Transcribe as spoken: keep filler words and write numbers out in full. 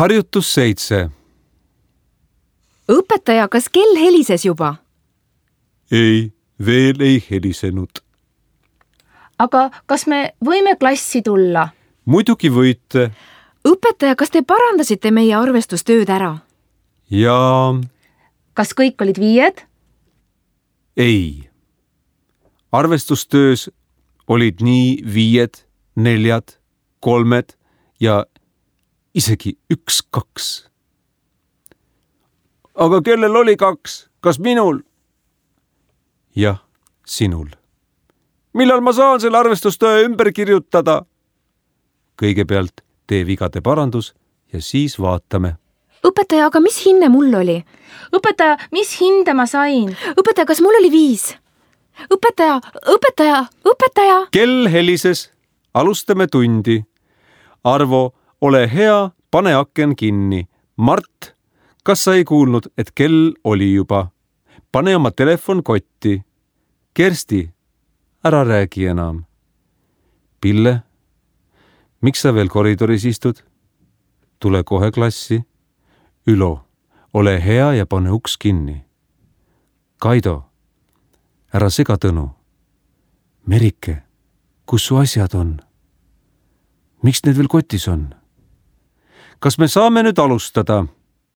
harjutus seitse. Õpetaja, kas kell helises juba? Ei, veel ei helisenud. Aga kas me võime klassi tulla? Muidugi võite. Õpetaja, kas te parandasite meie arvestustööd ära? Ja... Kas kõik olid viied? Ei. Arvestustöös olid nii viied, neljad, kolmed ja isegi üks, kaks. Aga kellel oli kaks? Kas minul? Jah, sinul. Millal ma saan selle arvestustöö ümber kirjutada? Kõigepealt tee vigade parandus ja siis vaatame. Õpetaja, aga mis hinne mul oli? Õpetaja, mis hinde ma sain? Õpetaja, kas mul oli viis? Õpetaja, õpetaja, õpetaja! Kell helises. Alustame tundi. Arvo, ole hea, pane aken kinni. Mart, kas sa ei kuulnud, et kell oli juba? Pane oma telefon kotti. Kersti, ära räägi enam. Pille, miks sa veel koridoris istud? Tule kohe klassi. Ülo, ole hea ja pane uks kinni. Kaido, ära sega Tõnu. Merike, kus su asjad on? Miks need veel kotis on? Kas me saame nüüd alustada?